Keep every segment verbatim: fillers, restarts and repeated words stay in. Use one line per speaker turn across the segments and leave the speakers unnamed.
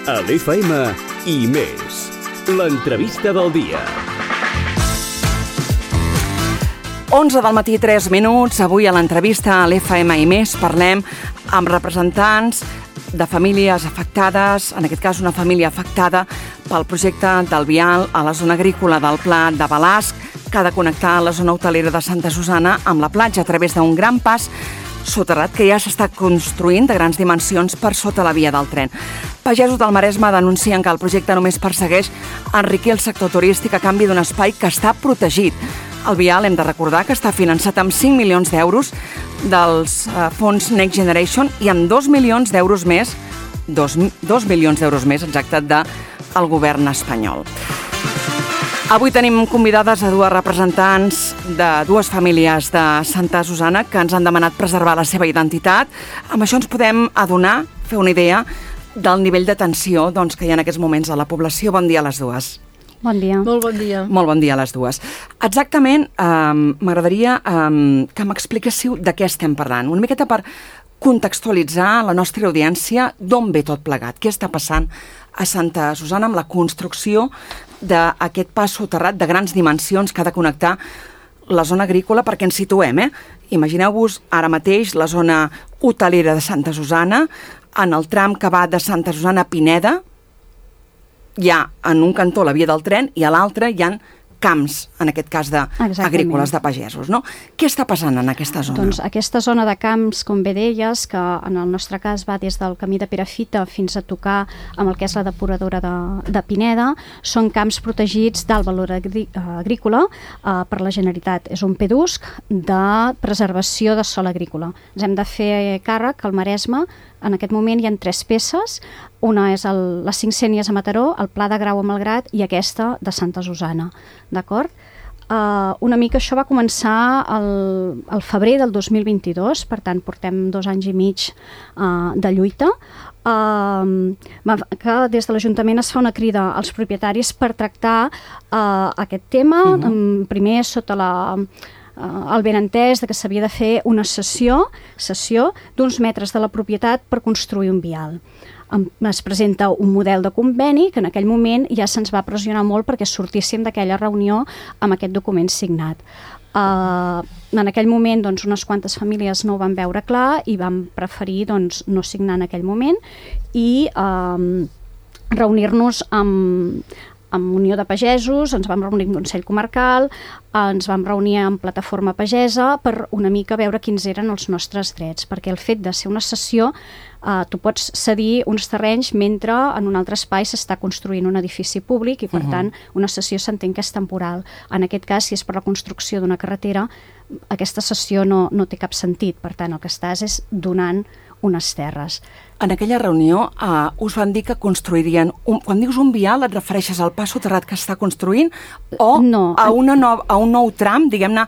A l'F M i més. L'entrevista del dia.
onze del matí, tres minuts. Avui a l'entrevista a l'F M i més parlem amb representants de famílies afectades, en aquest cas una família afectada pel projecte del vial a la zona agrícola del Pla de Balasc, que ha de connectar la zona hotelera de Santa Susana amb la platja a través d'un gran pas soterrat que ja s'està construint de grans dimensions per sota la via del tren. Pagesos del Maresme denuncien que el projecte només persegueix enriquir el sector turístic a canvi d'un espai que està protegit. El vial, hem de recordar, que està finançat amb cinc milions d'euros dels eh, fons Next Generation i amb dos milions d'euros més, dos, dos milions d'euros més, exacte, del govern espanyol. Avui tenim convidades a dues representants de dues famílies de Santa Susana que ens han demanat preservar la seva identitat. Amb això ens podem adonar, fer una idea del nivell de tensió doncs, que hi ha en aquests moments a la població. Bon dia a les dues.
Bon dia.
Molt bon dia.
Molt bon dia a les dues. Exactament, eh, m'agradaria eh, que m'expliquéssiu de què estem parlant. Una miqueta per contextualitzar la nostra audiència d'on ve tot plegat. Què està passant a Santa Susana amb la construcció d'aquest pas soterrat de grans dimensions que ha de connectar la zona agrícola, perquè ens situem, eh? Imagineu-vos ara mateix la zona hotelera de Santa Susana, en el tram que va de Santa Susana a Pineda, hi ha en un cantó la via del tren i a l'altre hi ha camps, en aquest cas d'agrícoles, de pagesos, no? Què està passant en aquesta zona?
Doncs aquesta zona de camps, com bé deies, que en el nostre cas va des del camí de Perafita fins a tocar amb el que és la depuradora de, de Pineda, són camps protegits d'alt valor agrí, agrícola eh, per la Generalitat. És un P D U S C de preservació de sòl agrícola. Ens hem de fer càrrec que al Maresme en aquest moment hi ha tres peces. Una és el, les cinc sénies a Mataró, el Pla de Grau a Malgrat i aquesta de Santa Susana. D'acord? Uh, una mica això va començar el, el febrer del dos mil vint-i-dos, per tant portem dos anys i mig uh, de lluita. Uh, que des de l'Ajuntament es fa una crida als propietaris per tractar uh, aquest tema, uh-huh. um, primer sota la... Uh, el benentès de que s'havia de fer una cessió, cessió d'uns metres de la propietat per construir un vial. Um, es presenta un model de conveni que en aquell moment ja se'ns va pressionar molt perquè sortíssim d'aquella reunió amb aquest document signat. Uh, en aquell moment doncs, unes quantes famílies no ho van veure clar i van preferir doncs, no signar en aquell moment i um, reunir-nos amb amb Unió de Pagesos, ens vam reunir amb Consell Comarcal, ens vam reunir amb Plataforma Pagesa per una mica veure quins eren els nostres drets, perquè el fet de ser una cessió, eh, tu pots cedir uns terrenys mentre en un altre espai s'està construint un edifici públic i, per uh-huh. tant, una cessió s'entén que és temporal. En aquest cas, si és per la construcció d'una carretera, aquesta cessió no, no té cap sentit. Per tant, el que estàs és donant unes terres.
En aquella reunió uh, us van dir que construirien... Un, quan dius un vial, et refereixes al pas soterrat que està construint o
no,
a, una no, a un nou tram, diguem-ne,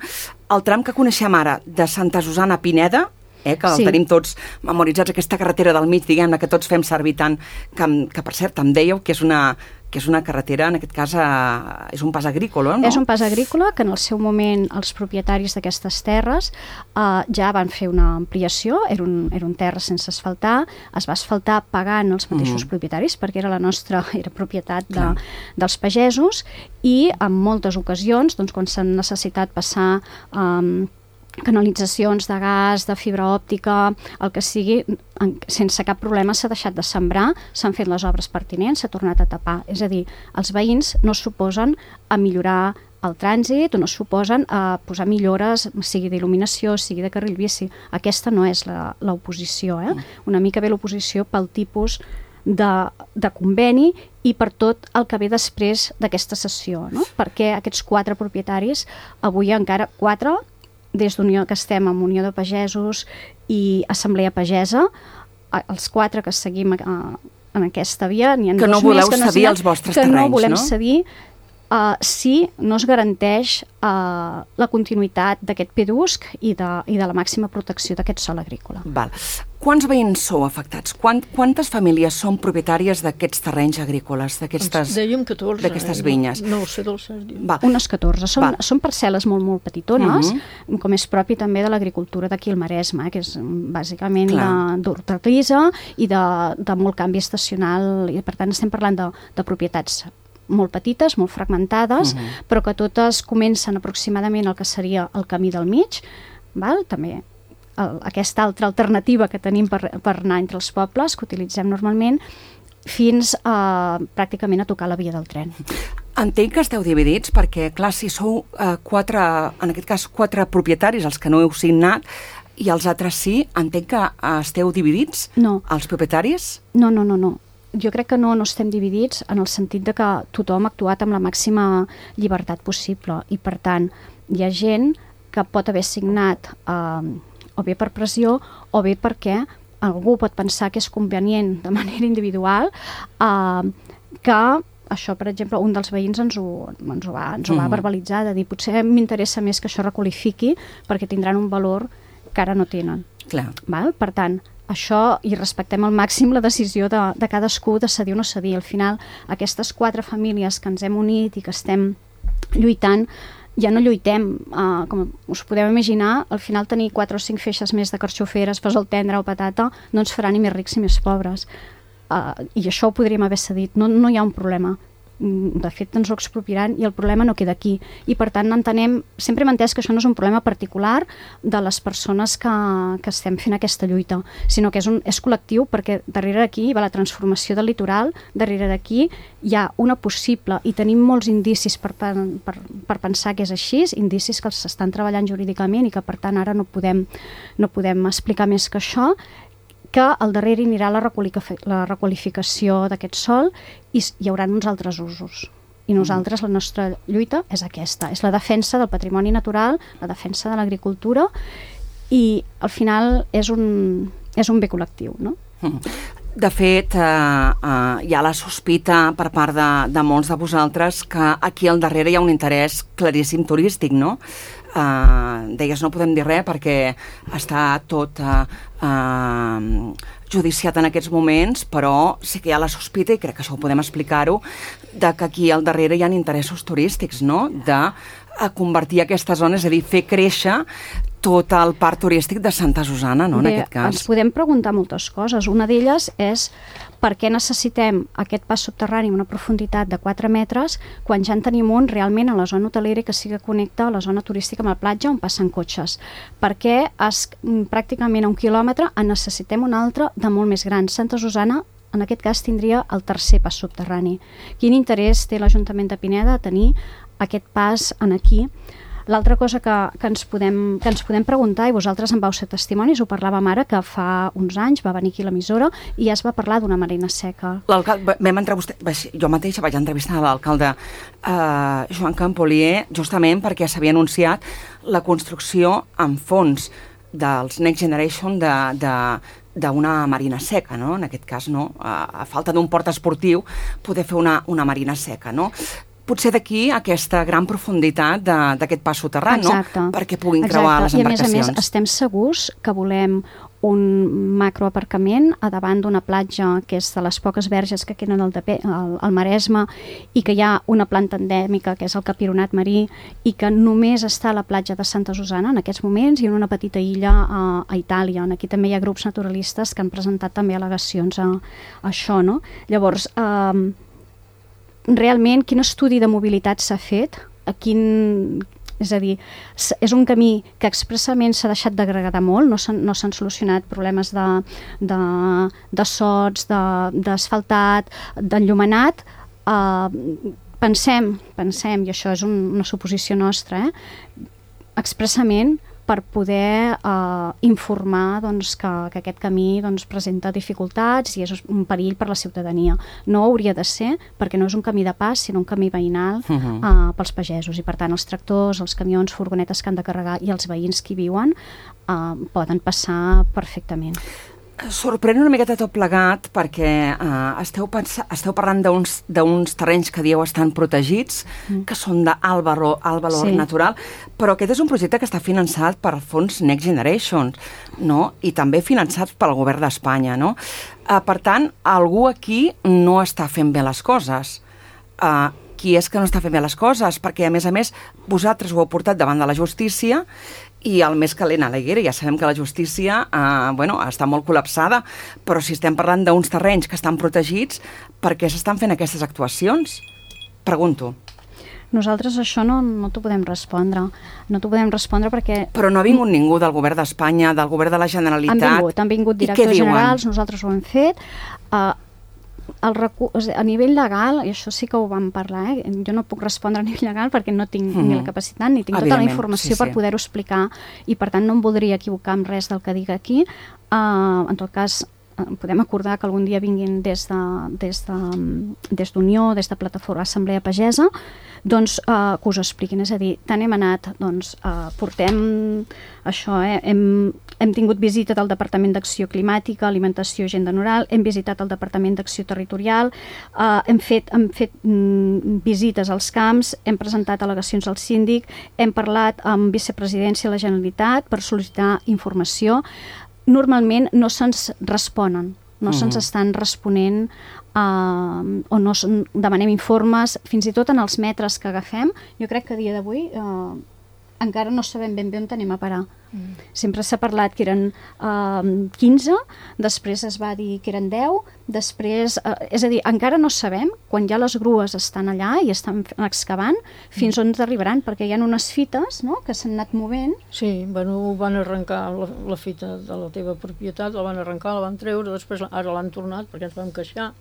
el tram que coneixem ara de Santa Susana a Pineda, eh, que sí. El tenim tots memoritzats, aquesta carretera del mig, diguem-ne, que tots fem servir tant, que, que per cert, em dèieu que és una... que és una carretera, en aquest cas, eh, és un pas agrícola, no?
És un pas agrícola que en el seu moment els propietaris d'aquestes terres eh, ja van fer una ampliació, era un, era un terra sense asfaltar, es va asfaltar pagant els mateixos mm. propietaris perquè era la nostra, era propietat de, dels pagesos i en moltes ocasions, doncs, quan s'han necessitat passar eh, canalitzacions de gas, de fibra òptica, el que sigui, en, sense cap problema s'ha deixat de sembrar, s'han fet les obres pertinents, s'ha tornat a tapar. És a dir, els veïns no s'oposen a millorar el trànsit o no s'oposen a posar millores, sigui d'il·luminació, sigui de carril bici. Aquesta no és l'oposició, eh? Una mica ve l'oposició pel tipus de, de conveni i per tot el que ve després d'aquesta sessió, no? Perquè aquests quatre propietaris, avui encara quatre, des d'Unió que estem amb Unió de Pagesos i Assemblea Pagesa, els quatre que seguim a, en aquesta via, n'hi ha
que
dos
no voleu
més que no
cedir els vostres
que
terrenys,
no volem
no?
cedir uh, si no es garanteix uh, la continuïtat d'aquest pedusc i de, i de la màxima protecció d'aquest sòl agrícola.
Val. Quants veïns sou afectats? Quant, quantes famílies són propietàries d'aquests terrenys agrícoles, d'aquestes d'aquestes vinyes?
No ho sé del cert.
Unes catorze. Són, són parcel·les molt, molt petitones, uh-huh. com és propi també de l'agricultura d'aquí al Maresme, que és bàsicament d'hortalissa i de, de molt canvi estacional, i per tant estem parlant de, de propietats molt petites, molt fragmentades, uh-huh. però que totes comencen aproximadament el que seria el camí del mig, val? També el, aquesta altra alternativa que tenim per, per anar entre els pobles, que utilitzem normalment, fins a, pràcticament a tocar la via del tren.
Entenc que esteu dividits perquè, clar, si sou eh, quatre, en aquest cas, quatre propietaris, els que no heu signat, i els altres sí, entenc que eh, esteu dividits?
No.
Els propietaris?
No, no, no, no. Jo crec que no, no estem dividits en el sentit de que tothom ha actuat amb la màxima llibertat possible i, per tant, hi ha gent que pot haver signat eh, o bé per pressió o bé perquè algú pot pensar que és convenient de manera individual eh, que això, per exemple, un dels veïns ens ho, ens ho, va, ens ho va verbalitzar, de dir potser m'interessa més que això requalifiqui perquè tindran un valor que ara no tenen.
Clar.
Val? Per tant, això, i respectem al màxim la decisió de, de cadascú de cedir o no cedir. Al final, aquestes quatre famílies que ens hem unit i que estem lluitant, ja no lluitem, uh, com us podeu imaginar, al final tenir quatre o cinc feixes més de carxoferes, fesol tendre o patata, no ens farà ni més rics ni més pobres. Uh, I això ho podríem haver cedit, no, no hi ha un problema. De fet, ens ho expropiaran i el problema no queda aquí. I, per tant, entenem, sempre hem entès que això no és un problema particular de les persones que, que estem fent aquesta lluita, sinó que és, un, és col·lectiu, perquè darrere d'aquí va la transformació del litoral, darrere d'aquí hi ha una possible, i tenim molts indicis per, per, per, per pensar que és així, indicis que els estan treballant jurídicament i que, per tant, ara no podem, no podem explicar més que això, que al darrere anirà la, la requalificació d'aquest sòl i hi haurà uns altres usos. I nosaltres, la nostra lluita és aquesta, és la defensa del patrimoni natural, la defensa de l'agricultura i al final és un, és un bé col·lectiu, no?
De fet, eh, eh, hi ha la sospita per part de, de molts de vosaltres que aquí al darrere hi ha un interès claríssim turístic, no? Uh, deies, no podem dir res perquè està tot uh, uh, judiciat en aquests moments, però sí que hi ha la sospita, i crec que això ho podem explicar-ho, de que aquí al darrere hi ha interessos turístics, no? De uh, convertir aquestes zones, és a dir, fer créixer tot el parc turístic de Santa Susana, no?
Bé,
en aquest cas.
Ens podem preguntar moltes coses. Una d'elles és per què necessitem aquest pas subterrani amb una profunditat de quatre metres quan ja en tenim un realment a la zona hotelera que sí que connecta la zona turística amb la platja on passen cotxes. Perquè es, pràcticament a un quilòmetre en necessitem un altre de molt més gran. Santa Susana, en aquest cas, tindria el tercer pas subterrani. Quin interès té l'Ajuntament de Pineda a tenir aquest pas en aquí? L'altra cosa que, que, ens podem, que ens podem preguntar, i vosaltres en vau ser testimonis, ho parlàvem ara, que fa uns anys va venir aquí a l'emissora i ja es va parlar d'una marina seca.
L'alcalde, vam entrevistar, jo mateixa vaig entrevistar l'alcalde eh, Joan Campolier, justament perquè s'havia anunciat la construcció en fons dels Next Generation de, de, d'una marina seca, no? En aquest cas, no? A, a falta d'un port esportiu, poder fer una, una marina seca, no? Potser d'aquí aquesta gran profunditat d'aquest pas soterrani, no? Perquè puguin creuar les embarcacions.
I a més a més estem segurs que volem un macroaparcament a davant d'una platja que és de les poques verges que queden al, al, al Maresme i que hi ha una planta endèmica que és el capironat marí i que només està a la platja de Santa Susana en aquests moments i en una petita illa a, a Itàlia. Aquí també hi ha grups naturalistes que han presentat també al·legacions a, a això, no? Llavors, eh, realment, quin estudi de mobilitat s'ha fet? A quin... És a dir, és un camí que expressament s'ha deixat d'agregar molt, no s'han no s'han solucionat problemes de, de, de sots, d'asfaltat, de, d'enllumenat. Uh, pensem, pensem, i això és un, una suposició nostra, eh? expressament per poder eh, informar doncs, que, que aquest camí doncs, presenta dificultats i és un perill per la ciutadania. No hauria de ser, perquè no és un camí de pas, sinó un camí veïnal uh-huh. eh, pels pagesos. I per tant, els tractors, els camions, furgonetes que han de carregar i els veïns que hi viuen eh, poden passar perfectament.
Sorprèn una miqueta tot plegat perquè uh, esteu, pens- esteu parlant d'uns d'uns terrenys que dieu estan protegits, mm. que són d'alt valor, alt valor
sí.
natural, però aquest és un projecte que està finançat per fons Next Generation, no? I també finançat pel govern d'Espanya, no? Uh, per tant, algú aquí no està fent bé les coses. Uh, qui és que no està fent bé les coses? Perquè, a més a més, vosaltres ho heu portat davant de la justícia i el més calent a la Higuera, ja sabem que la justícia eh, bueno, està molt col·lapsada, però si estem parlant d'uns terrenys que estan protegits, per què s'estan fent aquestes actuacions? Pregunto.
Nosaltres això no, no t'ho podem respondre. No t'ho podem respondre perquè...
Però no ha vingut ningú del govern d'Espanya, del govern de la Generalitat...
Han vingut, han vingut directors generals, nosaltres ho hem fet... Uh, el recu- a nivell legal, i això sí que ho vam parlar, eh? Jo no puc respondre a nivell legal perquè no tinc mm-hmm. ni la capacitat ni tinc tota la informació sí, per sí. poder-ho explicar i per tant no em voldria equivocar amb res del que dic aquí. Uh, en tot cas, uh, podem acordar que algun dia vinguin des de, des de, des d'Unió, des de Plataforma Assemblea Pagesa, doncs uh, que us ho expliquin. És a dir, tant hem anat, doncs uh, portem això, eh? hem, hem tingut visita del Departament d'Acció Climàtica, Alimentació i Agenda Rural, hem visitat el Departament d'Acció Territorial, uh, hem fet, hem fet mm, visites als camps, hem presentat al·legacions al síndic, hem parlat amb vicepresidència de la Generalitat per sol·licitar informació. Normalment no se'ns responen, no mm. se'ns estan responent uh, o no demanem informes, fins i tot en els metres que agafem. Jo crec que a dia d'avui uh, encara no sabem ben bé on anem a parar. Mm. Sempre s'ha parlat que eren uh, quinze, després es va dir que eren deu, després, uh, és a dir, encara no sabem, quan ja les grues estan allà i estan excavant, fins on arribaran, perquè hi ha unes fites, no?, que s'han anat movent.
Sí, bueno, van arrencar la, la fita de la teva propietat, la van arrencar, la van treure, després ara l'han tornat perquè ens vam queixar,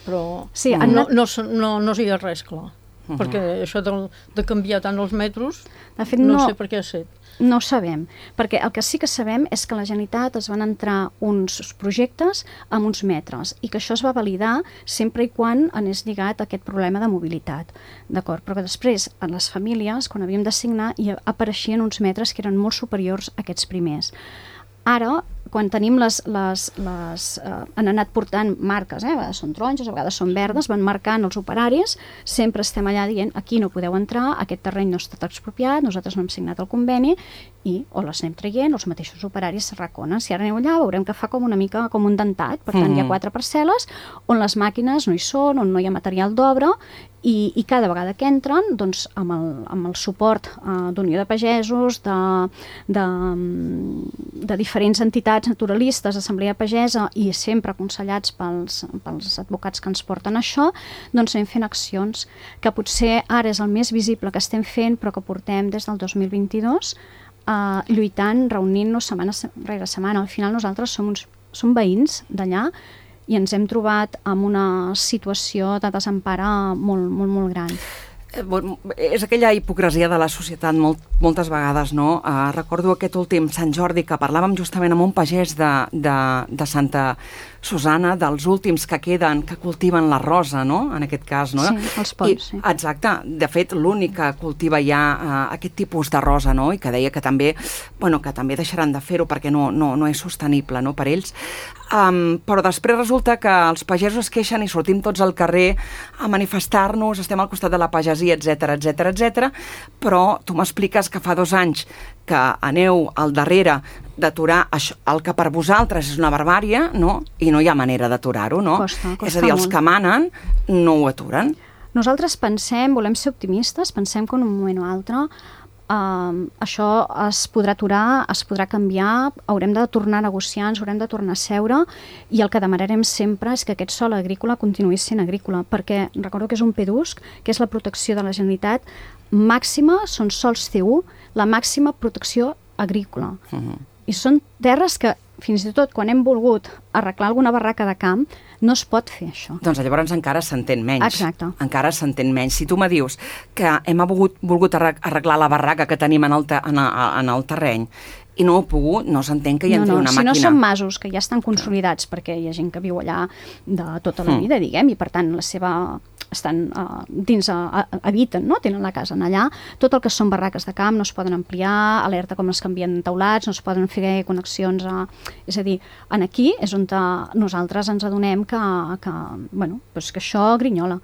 però
sí,
no,
anat...
no, no, no, no hi ha res clar. Uh-huh. Perquè això de, de canviar tant els metres,
de fet,
no,
no
sé per què ha set.
No ho sabem, perquè el que sí que sabem és que a la Generalitat es van entrar uns projectes amb uns metres i que això es va validar sempre i quan anés lligat a aquest problema de mobilitat, d'acord? Però que després, en les famílies, quan havíem de signar, hi apareixien uns metres que eren molt superiors a aquests primers. Ara, quan tenim les... les, les eh, han anat portant marques, eh? A vegades són taronges, a vegades són verdes, van marcant els operaris, sempre estem allà dient aquí no podeu entrar, aquest terreny no ha estat expropiat, nosaltres no hem signat el conveni i o les anem traient, els mateixos operaris s'arraconen. Si ara aneu allà veurem que fa com una mica com un dentat, per tant mm. hi ha quatre parcel·les on les màquines no hi són, on no hi ha material d'obra i, i cada vegada que entren, doncs amb el, amb el suport uh, d'Unió de Pagesos, de, de, de diferents entitats naturalistes, Assemblea Pagesa i sempre aconsellats pels, pels advocats que ens porten això, doncs anem fent accions que potser ara és el més visible que estem fent però que portem des del dos mil vint-i-dos uh, lluitant, reunint-nos setmana rere setmana. Al final nosaltres som, uns, som veïns d'allà i ens hem trobat amb una situació de desempara molt, molt, molt gran.
Bueno, és aquella hipocresia de la societat molt, moltes vegades, no? Uh, recordo aquest últim Sant Jordi que parlàvem justament amb un pagès de, de, de Santa Susana, dels últims que queden, que cultiven la rosa, no?, en aquest cas, no?
Sí, els ponts, sí.
Exacte. De fet, l'únic que cultiva ja uh, aquest tipus de rosa, no?, i que deia que també, bueno, que també deixaran de fer-ho perquè no, no, no és sostenible, no?, per ells. Um, però després resulta que els pagesos es queixen i sortim tots al carrer a manifestar-nos, estem al costat de la pagesia, etcètera, etcètera, etcètera, però tu m'expliques que fa dos anys que aneu al darrere d'aturar això, el que per vosaltres és una barbària, no?, i no hi ha manera d'aturar-ho, no?
Costa, costa
és a dir, els
molt.
que manen no ho aturen.
Nosaltres pensem, volem ser optimistes, pensem que en un moment o altre Uh, això es podrà aturar, es podrà canviar, haurem de tornar a negociar, ens haurem de tornar a seure i el que demanarem sempre és que aquest sòl agrícola continuï sent agrícola, perquè recordo que és un P D U S C, que és la protecció de la Generalitat màxima, són sols C u, la màxima protecció agrícola. Uh-huh. I són terres que fins i tot quan hem volgut arreglar alguna barraca de camp no es pot fer això.
Doncs llavors encara s'entén menys.
Exacte.
Encara s'entén menys. Si tu me dius que hem volgut, volgut arreglar la barraca que tenim en el, te, en, el, en el terreny i no he pogut, no s'entén que hi entri
no, no.
una
si
màquina.
Si no són masos que ja estan consolidats, perquè hi ha gent que viu allà de tota la vida, diguem, i per tant la seva... estan uh, dins, uh, habiten, no? Tenen la casa en allà. Tot el que són barraques de camp no es poden ampliar, alerta com es canvien taulats, no es poden fer connexions a... És a dir, en aquí és on nosaltres ens adonem que, que, bueno, doncs que això grinyola.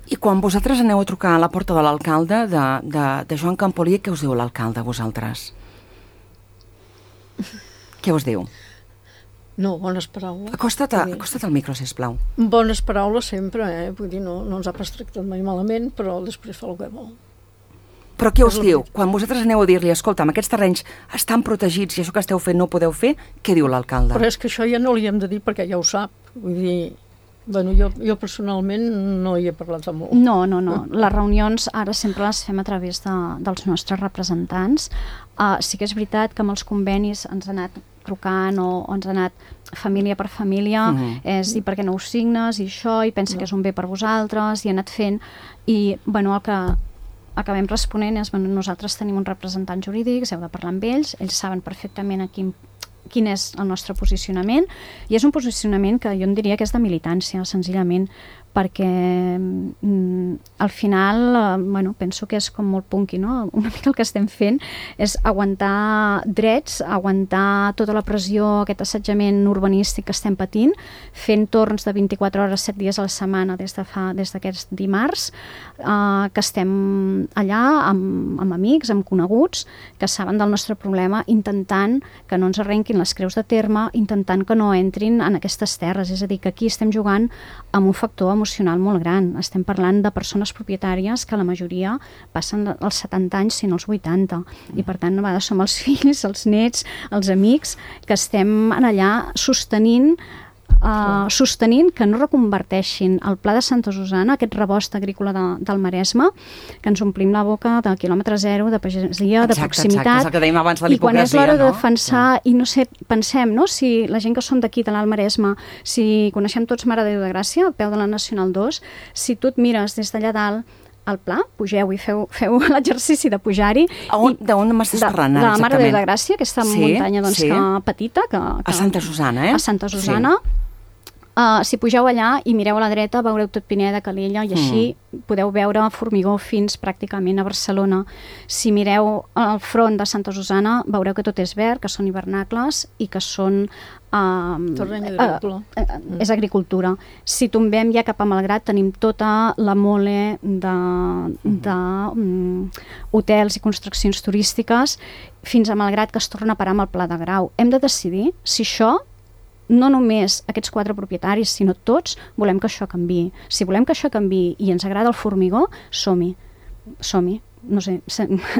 I quan vosaltres aneu a trucar a la porta de l'alcalde, de, de, de Joan Campolier, què us diu l'alcalde a vosaltres? Què us diu?
No, bones paraules.
Acosta't, a, acosta't al micro, sisplau.
Bones paraules sempre, eh? Vull dir, no, no ens ha pas tractat mai malament, però després fa el que vol.
Però què us diu? Quan vosaltres aneu a dir-li, escolta, aquests terrenys estan protegits i això que esteu fent no ho podeu fer, què diu l'alcalde?
Però és que això ja no li hem de dir perquè ja ho sap. Vull dir, bueno, jo, jo personalment no hi he parlat de molt.
No, no, no. Les reunions ara sempre les fem a través de, dels nostres representants. Uh, sí que és veritat que amb els convenis ens ha anat trucant o, o ens ha anat família per família, uh-huh. és dir per què no ho signes i això, i pensa no. que és un bé per vosaltres, i ha anat fent, i bueno, el que acabem responent és, bueno, nosaltres tenim uns representants jurídics, heu de parlar amb ells, ells saben perfectament a quin, quin és el nostre posicionament, i és un posicionament que jo en diria que és de militància, senzillament, perquè mm, al final, eh, bueno, penso que és com molt punky, no? Una mica el que estem fent és aguantar drets, aguantar tota la pressió, aquest assetjament urbanístic que estem patint, fent torns de vint-i-quatre hores, set dies a la setmana des de fa, des d'aquests dimarts, eh, que estem allà amb, amb amics, amb coneguts, que saben del nostre problema, intentant que no ens arrenquin les creus de terme, intentant que no entrin en aquestes terres. És a dir, que aquí estem jugant amb un factor emocional molt gran. Estem parlant de persones propietàries que la majoria passen els setanta anys, si no els vuitanta. I per tant, a vegades som els fills, els nets, els amics, que estem allà sostenint Uh, sostenint que no reconverteixin el Pla de Santa Susana, aquest rebost agrícola de, del Maresme, que ens omplim la boca de quilòmetre zero, de pagesia,
exacte,
de proximitat,
exacte, que abans de
i quan és l'hora
no?
de defensar, sí. I no sé, pensem, no? Si la gent que som d'aquí, de l'Alt Maresme, si coneixem tots Mare de Déu de Gràcia, al peu de la Nacional dos, si tu et mires des d'allà dalt al pla, pugeu i feu, feu l'exercici de pujar-hi.
D'on m'estàs parlant ara,
exactament? De la Mare de Déu de Gràcia, aquesta sí, muntanya doncs, sí. que, petita. Que, que,
a Santa Susana, eh?
A Santa Susana. Sí. Uh, si pugeu allà i mireu a la dreta, veureu tot Pineda, Calella, i així mm. podeu veure formigó fins pràcticament a Barcelona. Si mireu al front de Santa Susana, veureu que tot és verd, que són hivernacles i que són... Uh,
Terreny agrícola.
Uh, uh, mm. És agricultura. Si tombem ja cap a Malgrat, tenim tota la mole de, de um, hotels i construccions turístiques fins a Malgrat, que es torna a parar amb el Pla de Grau. Hem de decidir si això, no només aquests quatre propietaris, sinó tots, volem que això canviï. Si volem que això canviï i ens agrada el formigó, som-hi. Som-hi. No sé,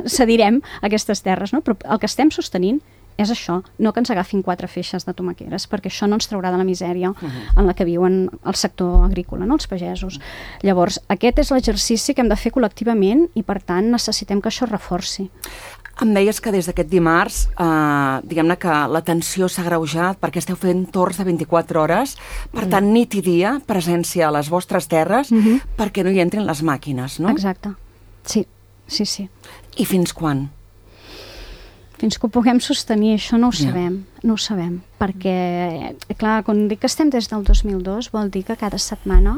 cedirem aquestes terres, no? Però el que estem sostenint és això, no que ens agafin quatre feixes de tomaqueres, perquè això no ens traurà de la misèria uh-huh. en la que viuen el sector agrícola, no? Els pagesos. Llavors, aquest és l'exercici que hem de fer col·lectivament i, per tant, necessitem que això es reforci.
Em deies que des d'aquest dimarts, eh, diguem-ne que la tensió s'ha agreujat perquè esteu fent torns de vint-i-quatre hores, per tant, nit i dia, presència a les vostres terres, uh-huh. perquè no hi entrin les màquines, no?
Exacte. Sí, sí, sí.
I fins quan?
Fins que ho puguem sostenir, això no ho sabem, yeah. no ho sabem, perquè, clar, quan dic que estem des del dos mil dos, vol dir que cada setmana,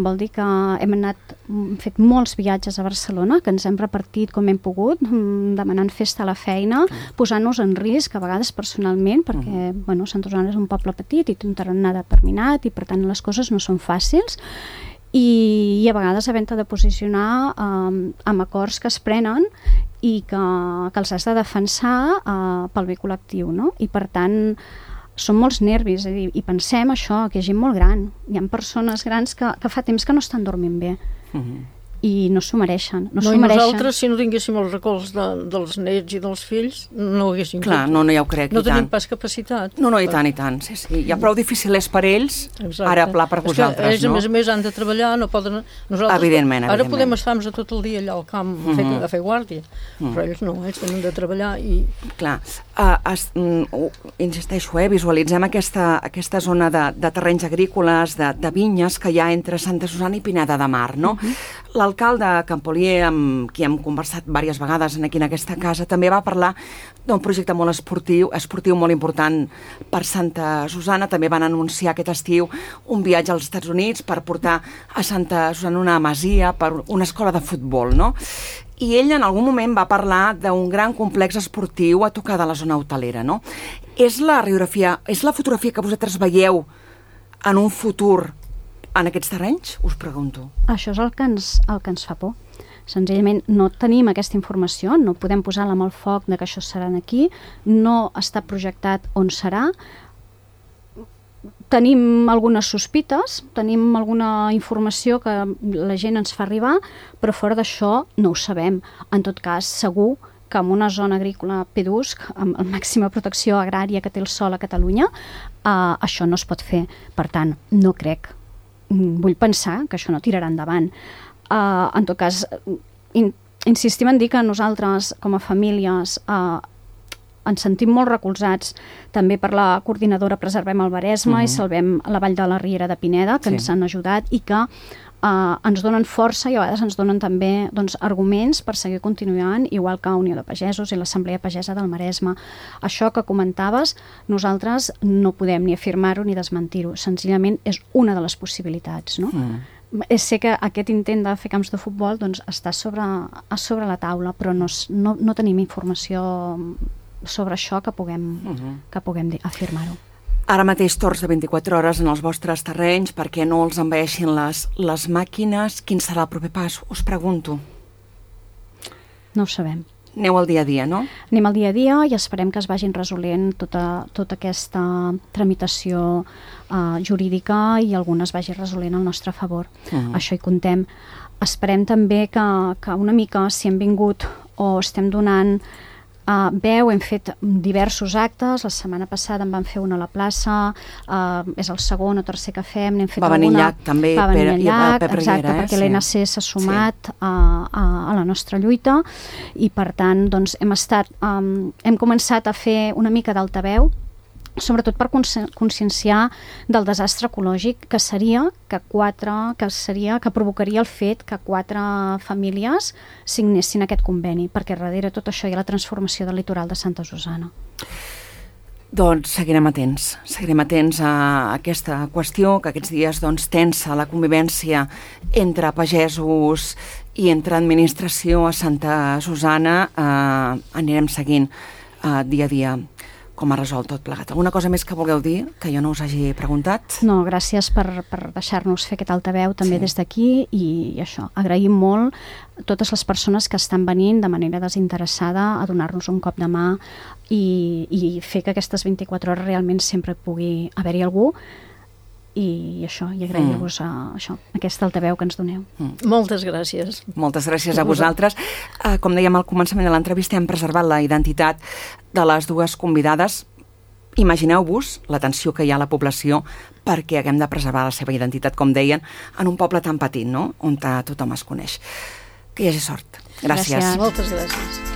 vol dir que hem anat, hem fet molts viatges a Barcelona, que ens hem repartit com hem pogut, demanant festa a la feina, posant-nos en risc, a vegades personalment, perquè, uh-huh. bueno, Santa Susana és un poble petit i té un tarannà determinat i, per tant, les coses no són fàcils, i, i a vegades havent-te de posicionar um, amb acords que es prenen i que, que els has de defensar uh, pel bé col·lectiu, no? I per tant són molts nervis, és a dir, i pensem això, que hi ha gent molt gran, hi ha persones grans que, que fa temps que no estan dormint bé. Uh-huh. I no s'ho mereixen. No,
no
i mereixen.
Nosaltres, si no tinguéssim els recolzs de, dels nets i dels fills, no ho haguéssim
Clar, fet. No, no, ja ho crec,
no
i tant.
No tenim pas capacitat.
No, no, i tant, i tant, sí, sí. Ja prou difícil és per ells, Exacte. Ara pla per vosaltres,
ells,
no?
A més a més, han de treballar, no poden... Nosaltres,
evidentment,
ara
evidentment.
podem estar tot el dia allà al camp a fer, uh-huh. a fer guàrdia, uh-huh. però ells no, ells tenen de treballar i...
Clar, uh, es, uh, insisteixo, eh, visualitzem aquesta, aquesta zona de, de terrenys agrícoles, de, de vinyes que hi ha entre Santa Susana i Pineda de Mar, no? Uh-huh. L'alcalde Campolier, amb qui hem conversat diverses vegades aquí en aquesta casa, també va parlar d'un projecte molt esportiu, esportiu molt important per Santa Susanna. També van anunciar aquest estiu un viatge als Estats Units per portar a Santa Susanna una masia per una escola de futbol, no? I ell en algun moment va parlar d'un gran complex esportiu a tocar de la zona hotelera, no? És la radiografia, és la fotografia que vosaltres veieu en un futur en aquests terrenys? Us pregunto.
Això és el que ens, el que ens fa por. Senzillament no tenim aquesta informació, no podem posar-la amb el foc de que això serà aquí, no està projectat on serà. Tenim algunes sospites, tenim alguna informació que la gent ens fa arribar, però fora d'això no ho sabem. En tot cas, segur que en una zona agrícola pedusc, amb la màxima protecció agrària que té el sol a Catalunya, eh, això no es pot fer. Per tant, no crec. Vull pensar que això no tirarà endavant. Uh, en tot cas, in, insistim en dir que nosaltres, com a famílies, uh, ens sentim molt recolzats també per la coordinadora Preservem el Maresme uh-huh. i Salvem la Vall de la Riera de Pineda, que sí. ens han ajudat i que uh, ens donen força i a vegades ens donen també doncs, arguments per seguir continuant, igual que Unió de Pagesos i l'Assemblea Pagesa del Maresme. Això que comentaves, nosaltres no podem ni afirmar-ho ni desmentir-ho, senzillament és una de les possibilitats, no? Uh-huh. Sé que aquest intent de fer camps de futbol doncs, està sobre, a sobre la taula, però no, no, no tenim informació sobre això que puguem, uh-huh. que puguem afirmar-ho.
Ara mateix torns de vint-i-quatre hores en els vostres terrenys perquè no els envaeixin les, les màquines. Quin serà el proper pas? Us pregunto.
No ho sabem.
Aneu al dia a dia, no?
Anem al dia a dia i esperem que es vagin resolent tota, tota aquesta tramitació uh, jurídica i algunes vagi resolent al nostre favor. Uh-huh. Això hi contem. Esperem també que, que una mica, si hem vingut o estem donant Uh, veu, hem fet diversos actes, la setmana passada en vam fer una a la plaça, uh, és el segon o tercer que fem, n'hem fet
va
alguna...
venir Llac, també,
va venir
Pere,
Llac,
Pep
exacte,
Riera, eh?
perquè
Sí.
l'E N C s'ha sumat
sí.
a, a, a la nostra lluita i per tant doncs, hem estat, um, hem començat a fer una mica d'altaveu, sobretot per conscienciar del desastre ecològic que seria que quatre, que seria que provocaria el fet que quatre famílies signessin aquest conveni, perquè darrere tot això hi ha la transformació del litoral de Santa Susanna.
Doncs seguirem atents, seguirem atents a aquesta qüestió, que aquests dies doncs, tensa la convivència entre pagesos i entre administració a Santa Susanna. Eh, anirem seguint eh, dia a dia com ha resolt tot plegat. Alguna cosa més que vulgueu dir, que jo no us hagi preguntat?
No, gràcies per, per deixar-nos fer aquest altaveu també sí. des d'aquí i, i això, agraïm molt totes les persones que estan venint de manera desinteressada a donar-nos un cop de mà i, i fer que aquestes vint-i-quatre hores realment sempre pugui haver-hi algú i això, i agrair-vos a, això, aquest altaveu que ens doneu.
Mm. Moltes gràcies.
Moltes gràcies a vosaltres. Uh, com dèiem al començament de l'entrevista, hem preservat la identitat de les dues convidades. Imagineu-vos l'atenció que hi ha a la població perquè haguem de preservar la seva identitat, com deien, en un poble tan petit, no?, on tothom es coneix. Que hi hagi sort. Gràcies.
Gràcies.
Moltes gràcies.